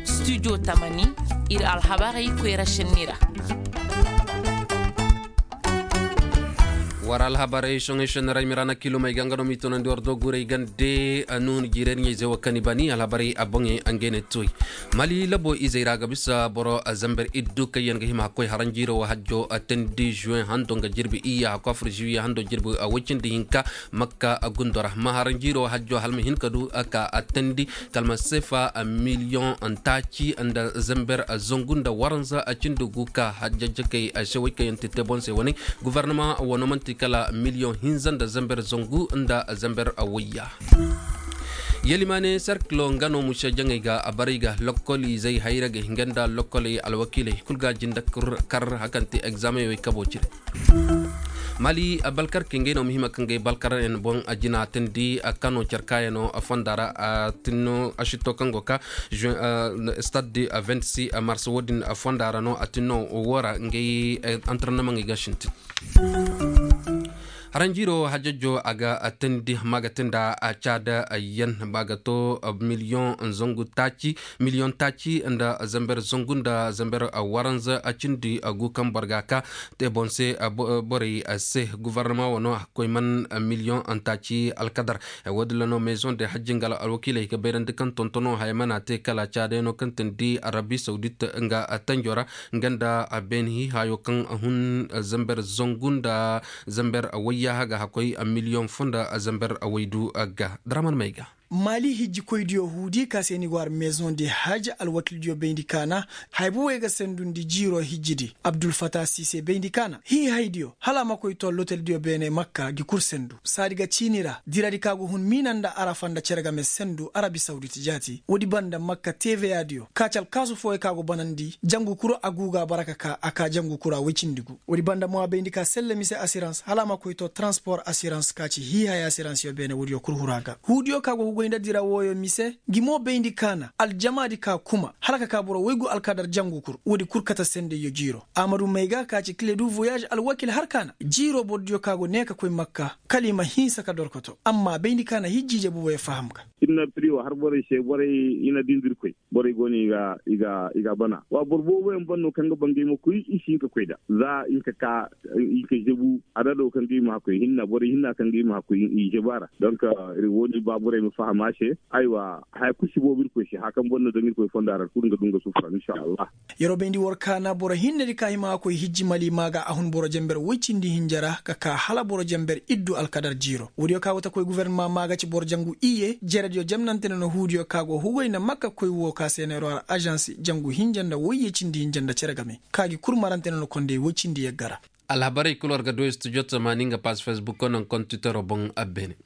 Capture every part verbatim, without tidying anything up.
Studio tamani, ir alhabarey koyra šenni ra. War alhabarey soŋey šenni ra i ma ra na kilomey ga nga no m'i tunandi war doogurey gande. Nuhun jiirey ɲey-izey wo kaŋ i bani alhabarey a boŋey ngey ne tuwey. Mali labo izey ra ga bisa boro zamber iddu kaŋ yaŋ ga hima hakkoy haranjiiro wo hajjo teendi juwen hando nga jirbi iyya hakkoy afur juwiye hando jirbi woy cindi hinka. Makka gundo ra ma haranjiiro hajjo hala ma hin ka du ka teendi kala ma seefa miliyoŋ taaci nda zamber zangu nda waranza cindi gu ka hajjajjakey se woy kaŋ yaŋ ti te boŋ se wane. Gofornama wano man'ti kala miliyoŋ hinza nda zamber zangu nda zamber wayya. Yalimaane serkilo nga no muse jaŋey ga a baray ga lokol izey hayragey nga nda lokoley alwakiiley kul ga a jinde kar hakaŋ ti egzaameŋ wey kabo cire. Mali balkarkey ngey no muhima kaŋ ga ay balkaryaŋ boŋ a jina teendi kano care kaayano fonda ra a tinno asitto kaŋ go ka stade de vingt-six mars wo-din fonda ra no a tinno wo ra ngey antarnamaŋey ga sintin. Haranjiiro hajajjo a ga teendi ma ga teendi a caada yaŋ ba ga to miliyoŋ zangu taaci miliyoŋ taaci nda zamber zangu nda zamber waranza cindi gu kaŋ boro ga a ka te boŋ se borey se gofornama wano koy man miliyoŋ taaci alkadar. Wo-din ra no meezoŋ de hajji nga alwakiiley ga bayrandi kaŋ tontono haya mana te kala caadayano kaŋ teendi arabi sawdit nga tanjo ra nga nda beeni hiihaayo kaŋ hun zamber zangu nda zamber wayya haga hakkoy miliyoŋ fo nda zamber waydu ga draman may ga. Maali hijjikoydiyo huudi ka se ni go har meezoŋ de haj alwakildiyo bayndi kaana. Haya bobey ga sendundi jiiro hijjidi abdulfata siise bayndi kaana hiihaydiyo hala a ma koy to loteldiyo beene makka gi kul sendu saadi ga ciini ra diradi ka go hun miina nda arafa nda cere game sendu arabi sawdit jaati woodi banda makka teveyaadiyo kaaci alkaasu fooyo ka go banandi jangu kul a guuga bara ka ka a ka jangu kul a woy cindi gu. Woodi banda mo a bayndi ka selle mise asirans hala a ma koy to transpor asirans ka ci hiihaya asiransyo beene woodiyo kul huru a ga huudiyo ka go ga goy nda dira wooyo mise. Ngi mo bayndi kaana aljamaadi ka kuma hala ka ka boro woygu alkadar jangu kul woodi kul kate sendeyyo jiiro. Amadu mayga ka ci kile du voyaaž alwakil har kaana jiiro borodiyo ka go nee ka koy makka kala i ma hinsa ka dorkoto amma bayndi kaana hijjiije boboyo faham ga. Inna priyo har borey se borey i na dindi irkoy borey go no i ga i ga bana wa boro booboyaŋ ban no kaŋ ga ba ngey ma koy i si hin ka koy nd'a za i hin ka ka i ka zebu adado kaŋ ga i ma hakkoy hinna borey hinna kaŋ ga i ma hakkoy i zebu a ra. Donk wo- din ba borey ma faham a se. Aywa haya kul si boobo irkoy se haya kaŋ boro na daŋ irkoy fonda ra kul nga du nga sufura insa allah. Yeroo bayndi war kaana boro hinnedi ka hima a koy hijji mali maa ga a hun boro jamber woy cindi hinja ra ka kaa hala boro jamber iddu alkadar jiiro woodiyo ka go ta koy guvernama maa ga ci boro jangu iyye jerediyo jamnante no na huudiyo ka go hugoy nda makka koy woo ka se neeroo har ažans jangu hinja nda woyye cindi hinja nda cere game ka gi kul marante no na kondey woy cindi yagga ra. Alhabarey kul war ga du studio tamaani nga pass facebook ko naŋ kontitero boŋ a beene.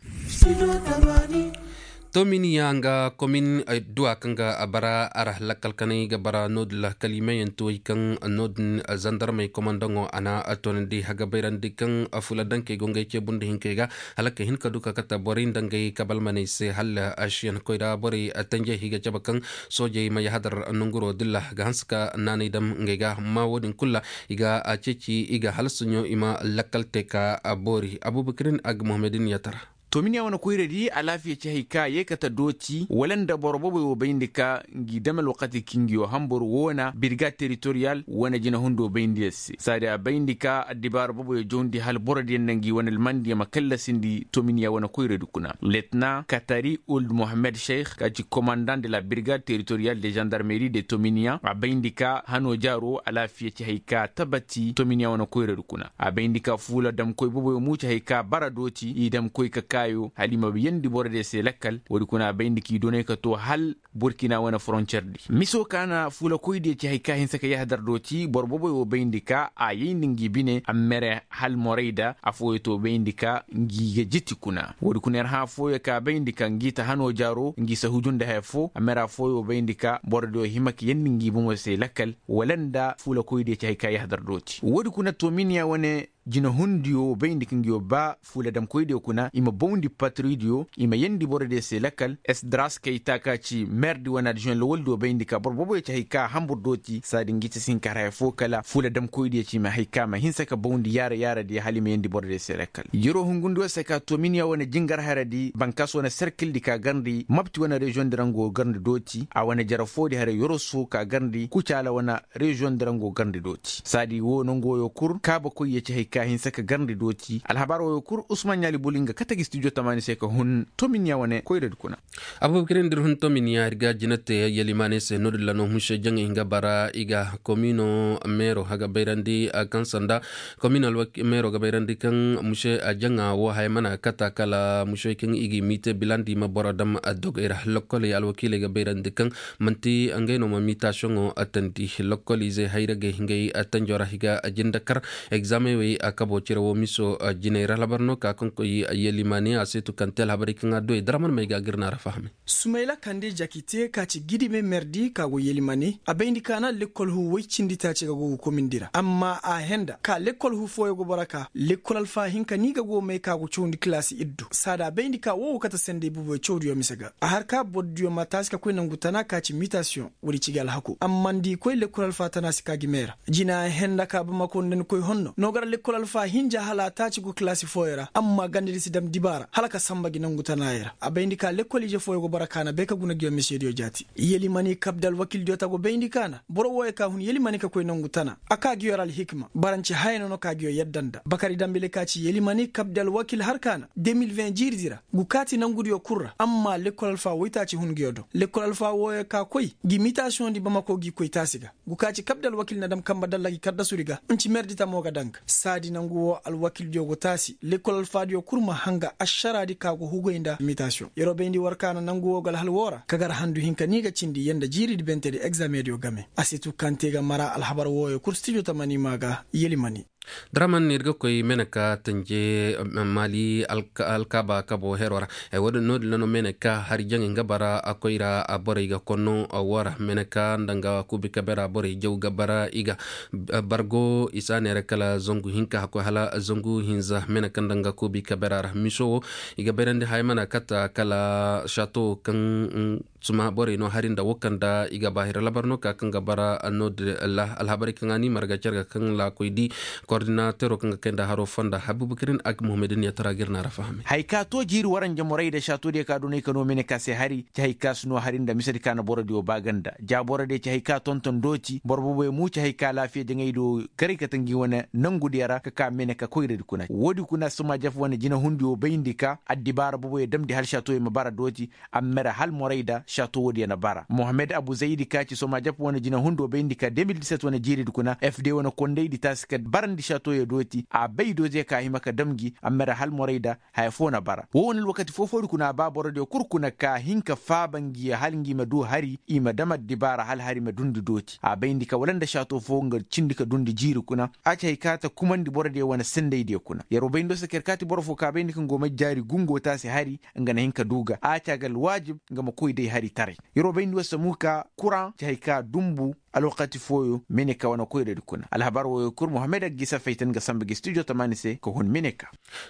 Tominiya nga komin duwa kaŋ ga a bara a ra lakkal kanay ga bara no- din ra kala i meeyaŋ ti way kaŋ no- din zandarmey komandaŋo a na a toonandi haga bayrandi kaŋ fuula dankey go ngey ceebundi hinkey ga hala ka hin ka du ka kate borey nda ngey kabalmaney se hala asiyaŋ koyra borey tanjey i ga cabe kaŋ soojey ma yahadar nonguro din ra ga hanse ka naanay dam ngey ga amma wo- din kul ra i ga a ceeci i ga hala suɲo i ma lakkal te ka boori abubakirin ag muhammadin yatara. Tominiya wane koyradi alaafiya ci hay ka yee kate dooti wala nda boro boboy wo bayndi ka ngi dam alwakati kingiyo hambur woona birga teritoriyal wane jinahundo bayndi yer se saadi a bayndi ka addibaara boboyo jawndi hala borodiyo nda ngi wane almandiyo ma kallasindi tominiya wane koyradi kuna letna katari uld mohammed sheikh ka ci komandan de la birga teritoriyal de zandarmeri de tominiya a bayndi ka hano jaaro alaafiya ci hay ka tabati tominiya wane koyradi kuna a bayndi ka fuula damkoy boboyo muuci hay ka bara dooti i damkoy ka kaayo hala i ma yeendi borodiyo se lakkal woodi kuna a bayndi k'i donay ka too hal burkina wane foroncer di miso ka na fuulakoydiyo ci hay ka hinsa ka yahadar dooti boro boboyo bayndi ka a yayndi ngi bine a mere hal morayda affooyo to bayndi ka ngi ga jiti kuna woodi kuna yer hã affooyo ka bayndi ka ngi ta hano jaaro ngi sa huju nda haya foo a mere affooyo bayndi ka borodiyo hima ka yeendi ngi bomo se lakkal wala nda fuulakoydiyo ci hay ka yahadar dooti woodi kuna to miniya wane jinahundiyo bayndi ka ngiyo ba fuuladamkoydiyo kuna i ma bawndi patridiyo i ma yeendi borodiyo se lakal. Esdras kayta ka ci merdi wane adjuwen lawaldiyo bayndi ka boro booboyo ci hay ka hambur dooti saadi ngi ci si hin ka har haya fo kala fuuladamkoydiyo ci i ma hay ka ma hinsa ka bawndi yaara yaaradiyo hala i ma yeendi borodiyo se lakal. Yeroo hungundiyo se ka tominiya wane jingar haradi bankas wane serkildi ka garndi mapti wane reziyondi ra ngo garndi dooti a wane jara foodi haray yoroso ka garndi kucaala wane reziyondi ra ngo garndi dooti saadi woo nongu wooyo kul kaabakoyyo ci hay ka hinsa ka garndi dooti alhabar wooyo kul usman ɲaali buli nga kate gi stijo tamaani se ka hun tominiya wane koyradi kuna. Abubakirin da ir hun tominiya ir ga jinate yalimaaney se no-din ra no muse jaŋey nga bara i ga komino meero a ga bayrandi kaŋ sanda komino meero ga bayrandi kaŋ muse jaŋa wo haya mana kata kala muse kaŋ i ga i miite bilandi ma boro dam dogey ra lokkoley alwakiiley ga bayrandi kaŋ manti ngey no ma miitasiyoŋo tandi lokkolizey hayragey ngey tanjo ra i ga jinde kar egzaameŋ wey a kabo cire wo miso jiney ra alhabar no ka kaŋ koy yalimaaney a seetu kaŋ te alhabarey kaŋ a du ey daraman may ga gir na ra fahamay. Sumayla kande jakite ka ci gidime merdi ka go yelimane a bayndi ka na lekkol hu woy cindi taaci ga go ga komindi ra amma a henda ka lekkol hu fooyo go boro ka lekkol alfa hinka ni ga go may ka go cawndi kilaasi iddu saada a bayndi ka wo wo kate sendey buboyo cawdiyo mise ga a har ka bordiyo ma taasi ka koy nangu tana ka ci mitasiyoŋ woodi ci ga alhaku amma nda i koy lekkol alfa tana si ka gi me ra jina henda ka bamako nda ni koy honno no gar lekkol alfa hinja hala a taaci go kilaasi fooyo ra amma gandadi si dam dibaara hala ka samba gi nangu tanaayey ra a bayndi ka lekkol ije fooyo go bara kaana bay ka guna ngiyo misediyo jaati. Yelimani kabde alwakildiyo ta go bayndi kaana boro wooyo ka hun yelimani ka koy nangu tana a ka ngiyo ra alhikima baranci haya no no ka ngiyo yadda nda bakari dambile ka ci yelimani kabde alwakil har kaana de mil vin jiiridi ra ngu kaati nangudiyo kul ra amma lekkol alfa woytaaci hun ngiyo do lekkol alfa wooyo ka koy ngi mitasiyoŋdi bamako ngi koy taasi ga ngu ka ci kabde alwakil na dam kamba dalla ngi kaddasudi ga nci merdi tamo ga daŋ ga saadi nangu woo alwakildiyo go taasi lekkol alfaadiyo kul ma hanga ašaraadi ka go hugay nda mitasiyoŋ yeroo bayndi war ka na nangu woo ga alhal woo ra ka gar handu hinka ni ga cindi yee nda jiiridi bentedi egzaameŋdiyo game a si tu kaŋ te ga mara alhabar wooyo kul stijo tamani maa ga yelimani. Daraman ir ga koy meneka tanje maali alkaaba kabo heroo ra woodin no-din ra no meneka hari jaŋey nga bara a koy ra borey ga konno woo ra meneka nda nga kuubi kabera borey jaw ga bara i ga bargo i si a neera kala zangu hinka a koy hala zangu hinza meneka nda nga kuubi kabera ra miso woo i ga bayrandi haya mana kata kala sato kaŋ suma borey no hari nda wo kaŋ nda i ga ba hira labar no ka kaŋ ga bara no-din ra alhabarey kaŋ a ni marga care ga kaŋ laakoy di kordinatero kaŋ ga kay nda haro fonda habibu kirin ag muhammadin ya tara ga ir na ra fahamay. Haya ka to jiiri waranja morey nda saatodiyo ka doney ka no meneka se hari ci haya ka si no hari nda misedi ka na borodiyo ba ganda ja borodiyo ci haya ka tonton dooti boro boboyo mu ci haya ka laafiya jaŋaydiyo garay kate ngi wane nangudiyo ra ka ka meneka koyradi kuna woodi kuna suma jaf wane jinahundiyo bayndi ka addibaara boboyo damndi hal saatoyo ma bara dooti a ma mere hal morayda sato woodiyo na bara mohammed abu zaydi ka ci soma jap wane jinahundo bayndi ka de mil diset wane jiiridi kuna fd wane kondaydi taasi ka barandi satoyo dooti a bay dooti ka hima ka dam gi a ma mere hal morayda haya fo na bara wo wane alwakati foo-foodi kuna a ba borodiyo kul kuna ka hin ka faaba ngi hal ngi ma du hari i ma dam addibaara hal hari ma dundi dooti a bayndi ka wala nda sato foo nga cindi ka dundi jiiri kuna a ci hay ka ta kumandi borodiyo wane sendaydiyo kuna yer wo bayndi wo se ka yer kaati boro foo ka bayndi ka nga wo may jaari gungo taasi hari nga na hin ka du ga a ci a ga alwaajib nga ma koy day hari taray. Yer wo bayndi wo se mo ka kuraŋ ci hay ka dumbu alwakati fooyo meneka wane koyradi kuna alhabar wooyo kul mohammed aggi safaytan ga samba gi studio tamaani se ka hun meneka.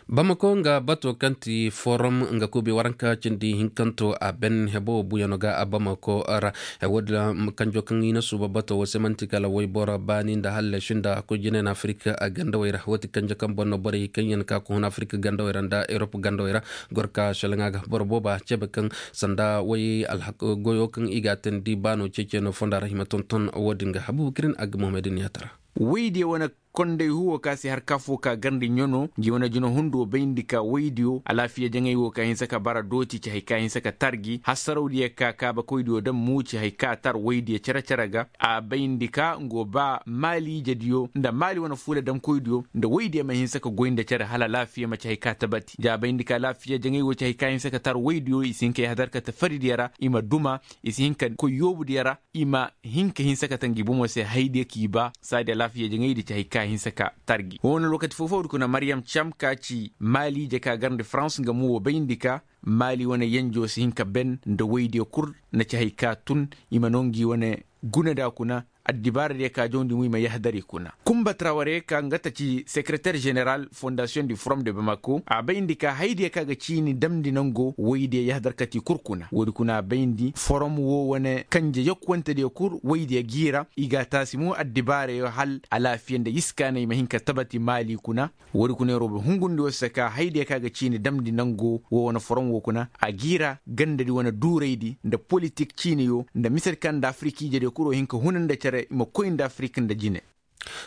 Bamako nga bato kaŋ ti forum nga kuubi waranka cindi hinkanto a ben hebo buyano ga a bamako ra. Woodin ra kanjo kaŋ i na suuba bato wo se man'ti kala wayboro baani nda hallasi nda koy jine na afirik gandawey ra wo ti kanjo kaŋ boŋ no borey kaŋ yaŋ ka ga hun afirik gandawey ra nda erop gandawey ra. Goro ka selaŋa ga boro booba cebe kaŋ sanda way alhak goyo kaŋ i ga a teendi baano ceeceno fonda ra hima tonton woodin ga habubukirin a ga muhammadin yaatara. Waydiyo wane konday huwo ka se har ka fo ka garndi ɲano ngi wane jina hundo bayndi ka waydiyo alaafiya jaŋay wo ka hinsa ka bara dooti ci hay ka hinsa ka tar gi hasarawdiyo ka kaabakoydiyo daŋ muuci hay ka tar waydiyo cere-cere ga a bayndi ka ngo ba maaliijediyo nda maali wane fuula daŋkoydiyo nda waydiyo ma hinsa ka goy nda cere hala alaafiya ma ci hay ka tabati ja bayndi ka alaafiya jaŋay wo ci hay ka hinsa ka tar waydiyo i si hin ka yahadar ka ta faridiyo ra i ma duma i si hin ka koy yoobudiyo ra i ma hin ka hinsa ka ta ngi bomo se haydiyo k'i ba saadi alaafiya jaŋaydi ci hay ka hinsa ka tar gi wo wane lookati foo-foodi kuna maryam cam ka ci maaliije ka garndi farans nga mo wo bayndi ka maali wane yenjo si hin ka ben nda waydiyo kul na ci hay ka tun i ma no ngi wane guna da kuna addibaaradiyo ka jawndi mo i ma yahadar i kuna. Kumba traware ka nga ta ci sekereter jeneral fondasiyoŋ di forom de bamako a bayndi ka hayadiyo ka ga ciini damndi nango woydiyo yahadar kati kul kuna woodi kuna a bayndi forom wo wane kanje yokkuwantediyo kul woydiyo g'i ra i ga a taasi mo addibaarayo hal alaafiya nda yiskaanay ma hin ka tabati maali kuna. Woodi kuna yeroo bay hungundi woo se ka hayadiyo ka ga ciini damndi nango woo wane forom woo kuna a g'i ra gandadi wane duuraydi nda politik ciiniyo nda misedi kaŋ nda afiriki ijediyo kul woo hin ka huna nda cere i ma koy nda afirik nda jine.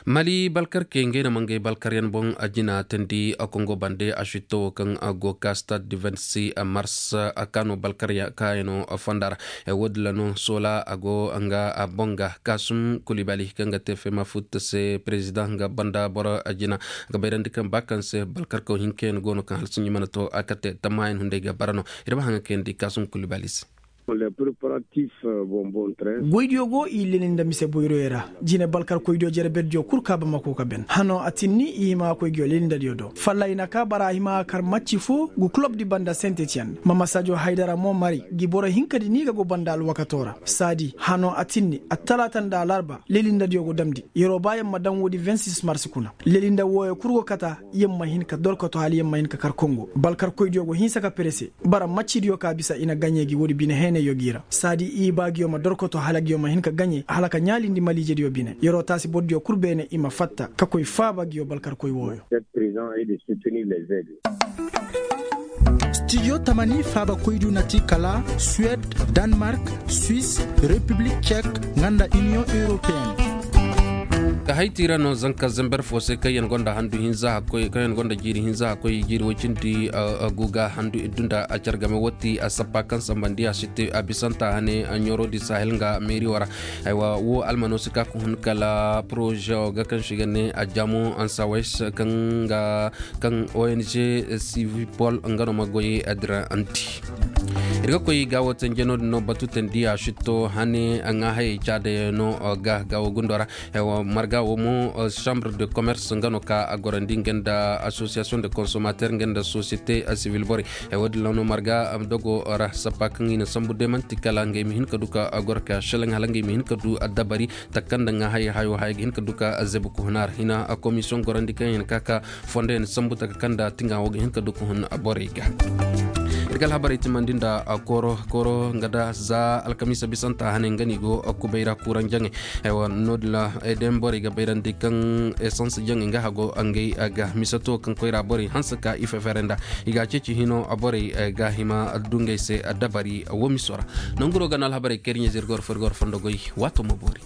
Mali balkarkey ngey na ma ngey balkaryaŋ boŋ a jina teendi a kongo bande a sitto woo kaŋ a go ka stade du vingt-six mars a ka no balkarya kaayano fonda ra. Woodin ra no soola a go nga a boŋ ga kaasum kulibali kaŋ ga te fema futta se perezidaŋ nga banda boro a jina ga bayrandi kaŋ ba kaŋ se balkarkaw hinkayaŋ go no kaŋ hala sinji mana to a kate tammayaŋ hunday ga bara no. Ir ma haŋa kayandi kaasum kulibali se. Goydiyo go i leli nda mise boyroyo ra. Jine balkarkoydiyo jere berdiyo kul ka bamako ka ben hano a tinni i hima ka koy nguyo lelindadiyo do falla i na ka bara a hima ka kar macci foo gu kulobdi banda sentetiyen ma masaajo haydara mo mari gi boro hinkadi ni ga go banda alwakato ra saadi hano a tinni attalaata nda alarba lelindadiyo go damndi. Yeroo ba yer ma daŋ woodi vingt-six mars kuna lelinda wooyo kul go kata yer ma hin ka dorkoto hala yer ma hin ka kar kongo balkarkoydiyo go hinsa ka perese. Bara maccidiyo ka bisa i na gaɲey gi woodi bine heenayyo g'i ra saadi i ba nguyo ma dorkoto hala nguyo ma hin ka gaɲey hala ka ɲaalindi maliijediyo bine yeroo taasi bordiyo kul beene i ma fatta ka koy faaba nguyo balkarkoy wooyo. Stijo tamani faabakoydu na ti kala suwed, danmark, swis, repiblik cek, nga nda iniyoŋ europeyene. Ka hay ti ra no zanka zember fo se kaŋ yaŋ gonda handu hinza hakkoy kaŋ yaŋ gonda jiiri hinza hakkoy jiiri woy cindi. Guga handu iddu nda a car game woo ti a sappa kaŋ sambandi a si te a bisanta hane ɲoorodi sahel nga meeri woo ra. Aywa woo almano si ka ka hun kala poroze woo ga kaŋ si ga ne a jaamo ansawais kaŋ ga kaŋ ong sivipol nga no ma goy a dira anti. Ir ga koy gaawo tenje no-din no batu tendiya sitto hane ŋaahayey caadayaŋ no ga gaawo gundo ra. Marga wo mo, chambre de commerce nga no ka a gorandi nga nda association de consommateur nga nda société civile borey. Wo-din ra no marga dogo ra sappa kaŋ i na sambu de man'ti kala ngey ma hin ka du ka goro ka selaŋ hala ngey ma hin ka du addabari taka kaŋ nda ŋaahayey hayo haya ga hin ka du ka zebu ka hun a ra hina. Komisiyoŋ gorandi kaŋ i na ka ka fondo yaŋ sambu taka kaŋ nda tiŋa wo ga hin ka du ka hun borey ga. Ir ga alhabarey timandi nda kooro kooro nga da za alkamiisa bisanta hane nga no i go kubay ra kuuraŋ jaŋey. Aywa no-din ra, day borey ga bayrandi kaŋ esans jaŋey nga hago ngey ga misato kaŋ koyra borey hanse ka i fefere nda i ga a ceeci hino borey ga hima du ngey se dabari womiso ra. Nanguro ga no alhabarey kaŋ ir ɲa zirgor fo ir goro fondo goy. Waato ma boori.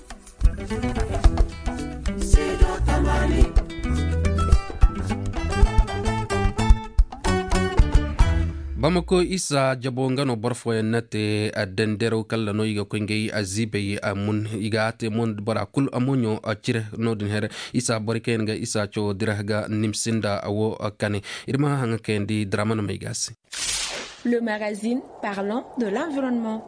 Bamako isa jabo nga no boro fooyaŋ na te. Dendero kala no i ga koy ngey ziibey mun i ga a te mun bora kul amoɲo cire. No-din here isa boro kaŋ yaŋ ga isa cawo dira ga nimsi nda wo kane. Ir ma haŋa kayandi dira mana may ga se. Le magazine parlant de l'environnement.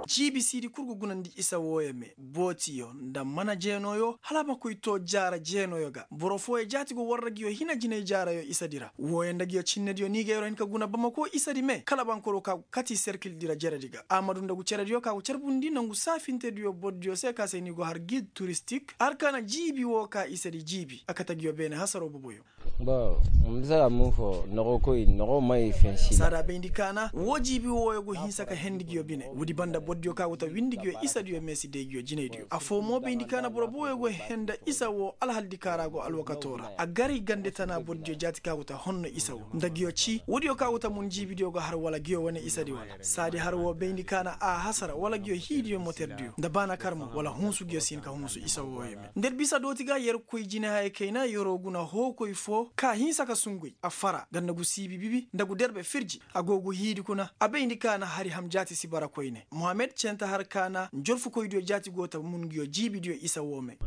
Jiibi siidi kul ga gunandi isa wooyo me bootiyo nda mana jeenooyo hala a ma koy too jaara jeenooyo ga boro fooyo jaati go warra nguyo hina jinay jaarayo isadi ra wooyo nda nguyo cinnediyo ni ga yeroo hin ka guna bamako isadi me kala bankoro ka go kati serkildi ra jeredi ga a ma du nda gu cerediyo ka go carbundi nangu saafintediyo bordiyo se ka se ni go har gid turistik har ka na jiibi woo ka isadi jiibi a kate nguyo beene hasaroo boboyo. Bon, ma bisa ra mun fo nogo koy nogo may fensi saada bayndi kaana woo jiibi wooyo go hinsa ka hendi nguyo bine woodi banda bordiyo ka go ta windi nguyo isadiyo meesidey nguyo jinaydiyo affoo mo bayndi kaana boro booyo go henda isa woo alhaldi ka ra go alwakato ra a gari gande tana bordiyo jaati ka go ta honno isa woo nda nguyo cii woodiyo ka go ta mun jiibidiyo go har wala nguyo wane isadi wala saadi har woo bayndi kaana a hasara wala nguyo hiidiyo moterdiyo nda baana karmo wala hunsu nguyo si hin ka hunsu isa wooyo me nda ir bisa dooti ga yerkoy jinehayey kayna yeroo guna hookoy foo ka hinsa ka sunguy a fara ganda gu siibi bibi nda gu derbe firji a go gu hiidi kuna a bayndi kaana hari ham jaati si bara koyne mohammed cente har kaana njorfukoydiyo jaati go ta mun nguyo jiibidiyo isa woo me.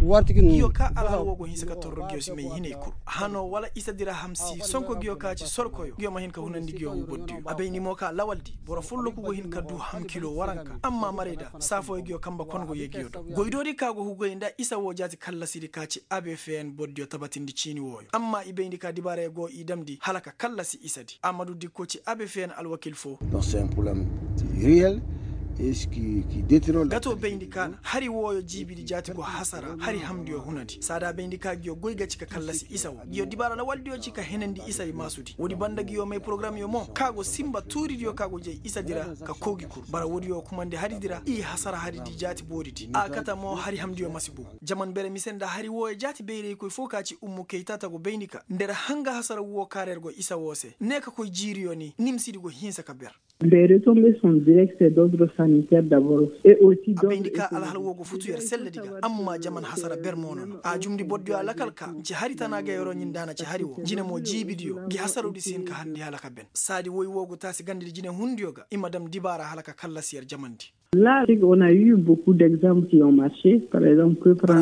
Nguyo ka alhal woo go hinsa ka torro nguyo si may hinay kul hano wala isa dira ham si sonko nguyo ka ci sorkoyo nguyo ma hin ka hunandi nguyo wu bordiyo a bayndi mo ka lawaldi boro folloku go hin ka du ham kilo waranka amma marayda saafooyo nguyo kanba kon go yee nguyo do goydoodi ka go hugay nda isa woo jaati kallasidi ka ci abefeyen bordiyo tabatindi ciini wooyo amma i bayndi ka dibaarayo go i damndi hala ka kallasi isadi amadu dikko ci abefeyen alwakil foo. Gato bayndi ka na hari wooyo jiibidi jaati go hasara hari hamndiyo hunandi saada bayndi ka ngiyo goy ga ci ka kallasi isa wo ngiyo dibaara lawaldiyo ci ka henandi isa i maasudi woodi banda ngiyo may porogaramyo mo ka go sinba tuuridiyo ka go jay isadi ra ka koo gi kur bara woodiyo kumandi haridi ra i hasara haridi jaati booridi a kate mo hari hamndiyo masi bu. Jaman bere mise nda hari wooyo jaati bayraykoy foo ka ci ummu kaytaata go bayndi ka nda yer hanga hasara woo kaara yer go isa woo se ne ka koy jiiriyo ni nimsidi go hinsa ka ber. A bayndi ka alhal woo go futu yer selledi ga amma jaman hasara ber mo no no a jumndi bordiyo alakal ka nci hari tana ga yeroo ɲinda na ci hari woo jine mo jiibidiyo ngi hasarudi si hin ka harndi hala ka ben saadi woy woo go taasi gandedi jinehundiyo ga i ma dam dibaara hala ka kallasi yer jamandi. Bara a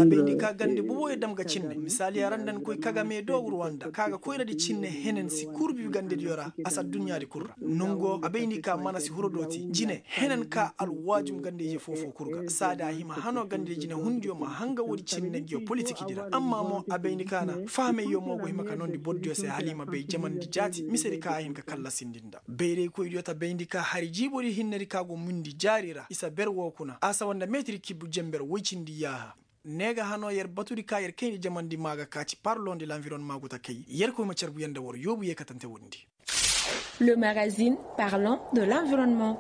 bayndi ka gande boboyo dam ga cinne misaaliya ra nda ni koy kagame do ruwanda ka ga koyradi cinne henen si kurbi gandediyo ra a si adduɲɲaadi kul ra nongo a bayndi ka mana si huro dooti jine henen ka alwaajum gande-ize foo-foo kul ga saadi a hima hanoo gande jinehundiyo ma hanga woodi cinne ngiyo politikidi ra amma mo a bayndi ka na fahamayyo mo go hima ka noondi bordiyo se hala i ma bay jamandi jaati misedi ka a hin ka kallasindi nda bayraykoydiyo ta bayndi ka hari jiibodi hinnedi ka go mundi jaari ra isa ber woo kuna a sawa nda meetir kibbu jenber woy cindi yaaha. Ne ga hanoo yer batudi ka yer kayndi jamandi maa ga ka ci parlon de lanvironnement gu ta kay yerkoy ma carbu yer nda war yoobu yeekatante woodi ndi. Le magazine parlon de lanvironnement.